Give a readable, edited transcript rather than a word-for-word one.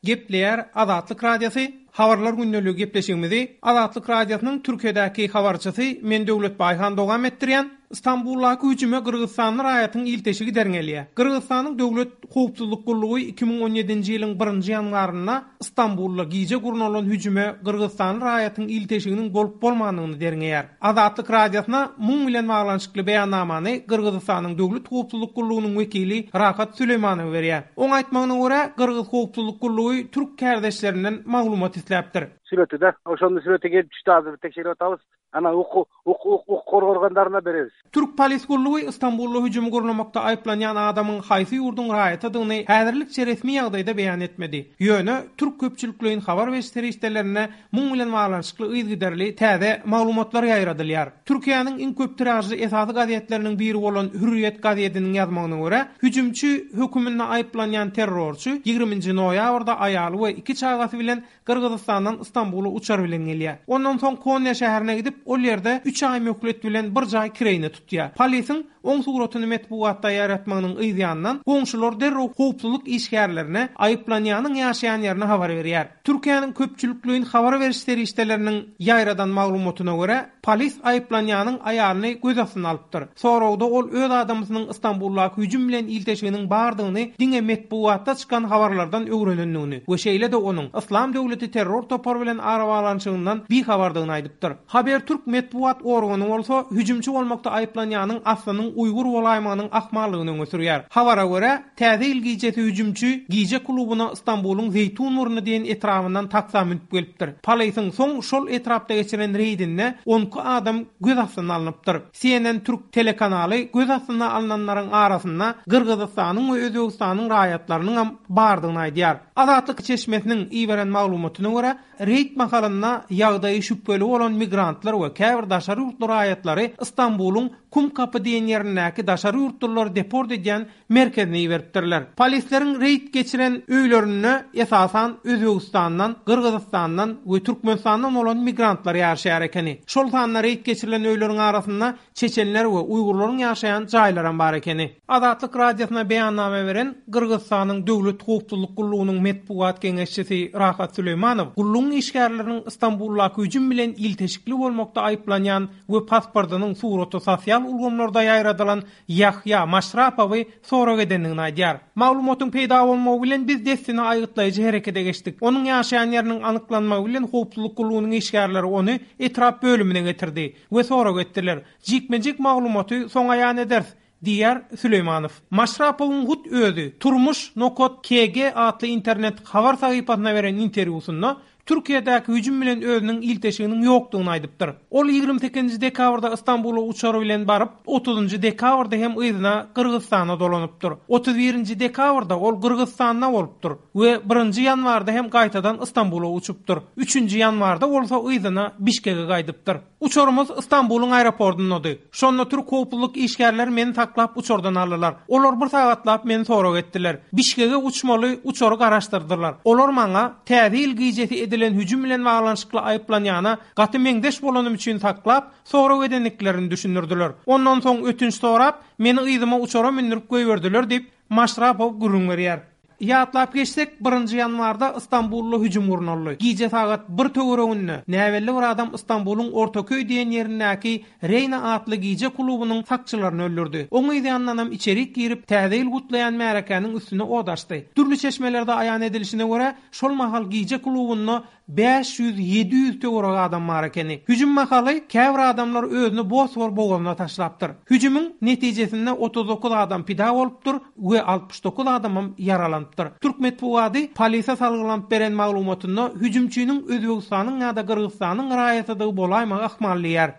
Gepleýär Azatlyk Radiosy, Habarlar gündeligi gepleşigimizi Azatlyk Radiosynyň Türkiýedäki habarçysy men Döwlet Baýhan dowam etdirýän. Stambuldaky hüjüme gyrgyzystanly raýatyň ilteşigi derňelýär. Gyrgyzystanyň Döwlet howpsuzlyk gullugy 2017-nji ýylyň birinji ýanwarynda Stambulda gije gurnalan hüjüme gyrgyzystanly raýatyň ilteşiginiň bolup-bolmandygyny derňeýär. Azatlyk Radiosyna muň bilen baglanyşykly beýannamany Gyrgyzystanyň Döwlet howpsuzlyk gullugynyň wekili Rahat Süleýmanow berýär. Oň aýtmagyna görä, gyrgyz howpsuzlyk gullugy türk kärdeşlerinden maglumat isläpdir. Süreti-de. Oşonda süreti gelip düşdi azir tekşerip atabys. Ana hukuk hukuk organlaryna bereris. Türk polis gullugy Stambulda hüjümi gurnamakda aýyplanýan adamyň haýsy ýurduň raýatydygyny häzirlikçe resmi ýagdaýda beýan etmedi. Ýöne türk köpçülikleýin habar beriş serişdelerinde muň bilen baglanyşykly yzygiderli täze maglumatlar ýaýradylýar. Türkiýäniň iň köp tiražly esasy gazetleriniň biri bolan Hürriýet gazetiniň ýazmagyna görä, hüjümçi höküminde aýyplanýan terrorçy ýigriminji noýabrda aýaly we iki çagasy bilen Gyrgyzystandan Stambula uçar bilen gelýär. Ondan soň Konýa şäherine gidip, ol ýerde üç aý möhlet bilen bir jaý kireýine tutýar. Polisiň oň suratyny metbugatda ýaýratmagynyň yz ýanyndan, goňşular derrew howpsuzlyk işgärlerine aýyplanýanyň ýaşaýan ýerini habar berýär. Türkiýäniň köpçülikleýin habar beriş serişdeleriniň ýaýradan maglumatyna görä, polis aýyplanýanyň aýalyny göz astyna alypdyr. Soragda ol öz adamsynyň Stambuldaky hüjüm bilen ilteşiginiň bardygyny diňe metbugatda çykan habarlardan öwrenendigini we şeýle-de onuň Yslam döwleti terror topary bilen arabaglanyşygyndan bihabardygyny aýdypdyr. Habertürk metbugat organy bolsa hüjümçi bolmakda aýyplanýanyň aslynyň uýgur bolaýmagynyň ahmallygyny öňe sürýär. Habara görä, Täze ýyl gijesi hüjümçi gije klubyna Stambulyň Zeýtunburny diýen etrabyndan taksa münüp gelipdir. Polisiň soň şol etrapda geçiren reýdinde 12 adam göz astyna alnypdyr. CNN türk telekanaly göz astyna alnanlaryň arasynda Gyrgyzystanyň we Özbegistanyň raýatlarynyňam bardygyny aýdýar. Azatlyk çeşmesiniň iberen maglumatyna görä, reýd mahalynda ýagdaýy şübheli bolan migrantlar we käbir daşary ýurtly raýatlary Stambulyň Kumkapy diýen ýerindäki daşary ýurtlulary deport edýän merkezine iberipdirler. Polisleriň reýd geçiren öýlerinde esasan Özbegistandan, Gyrgyzystandan we Türkmenistandan bolan migrantlar ýaşaýar ekeni. Şol sanda reýd geçirilen öýleriň arasynda çeçenler we uýgurlaryň ýaşaýan jaýlaram bar ekeni. Azatlyk Radiosyna beýannama beren Gyrgyzystanyň Döwlet howpsuzlyk gullugynyň metbugat geňeşçisi Rahat Süleýmanow gullugyň işgärleriniň Stambuldaky hüjüm bilen ilteşikli bolmakda aýyplanýan we pasportynyň suraty sosial ulgamlarda ýaýradylan Ýahýa Maşrapowy sorag edendigini aýdýar. Maglumatyň peýda bolmagy bilen biz dessine aýgytlaýjy herekete geçdik. Onuň ýaşaýan ýeriniň anyklanmagy bilen howpsuzlyk gullugynyň işgärleri ony etrap bölümine getirdi we sorag etdiler. Jikme-jik maglumaty soň aýan ederis, diýýär Süleýmanow. Maşrapowyň hut özi Turmuş nokat KG atly internet habar sahypasyna beren interwýusynda Türkiýedäki hüjüm bilen özüniň ilteşiginiň ýokdugyny aýdypdyr. Ol 28-nji dekabrda Stambula uçar bilen baryp, otuzynjy dekabrda hem yzyna Gyrgyzystana dolanypdyr. Otuz birinji dekabrda ol Gyrgyzystanda bolupdyr we birinji ýanwarda hem gaýtadan Stambula uçupdyr. Üçünji ýanwarda bolsa yzyna Bişkege gaýdypdyr. Uçarymyz Stambulyň aeroportyndady. Şonda türk howpsuzlyk işgärleri meni saklap uçardan aldylar. Olar bir sagatlap meni sorag etdiler. Bişkege uçmaly uçary garaşdyrdylar. Olar maňa Täze ýyl gijesi edilen hüjüm bilen baglanyşykly aýyplanýana gaty meňzeş bolanym üçin saklap, sorag edendiklerini düşündirdiler. Ondan soň ötünç sorap, meni yzyma uçara mündürip goýberdiler diýip, Maşrapow gürrüň berýär. Ýatlap geçsek, birinji ýanwarda Stambulda hüjüm gurnaldy. Gije sagat bir töwereginde näbelli bir adam Stambulyň Ortaköý diýen ýerindäki Reýna atly gije klubunyň sakçylaryny öldürdi. Oň yz ýanyndanam içerik girip, Täze ýyl gutlaýan märekäniň üstüne ot açdy. Dürli çeşmelerde aýan edilişine görä, şol mahal gije klubunda 500-700 töweregi adam bar ekeni. Hüjüm mahaly käbir adamlar özüni Bosfor bogazyna taşlapdyr. Hüjümiň netijesinde 39 adam pida bolupdyr we 69 adamam ýaralanypdyr. Türk metbugady polise salgylanyp beren maglumatynda hüjümçiniň Özbegistanyň ýa-da Gyrgyzystanyň raýatydygy bolaýmagy ahmal diýýär.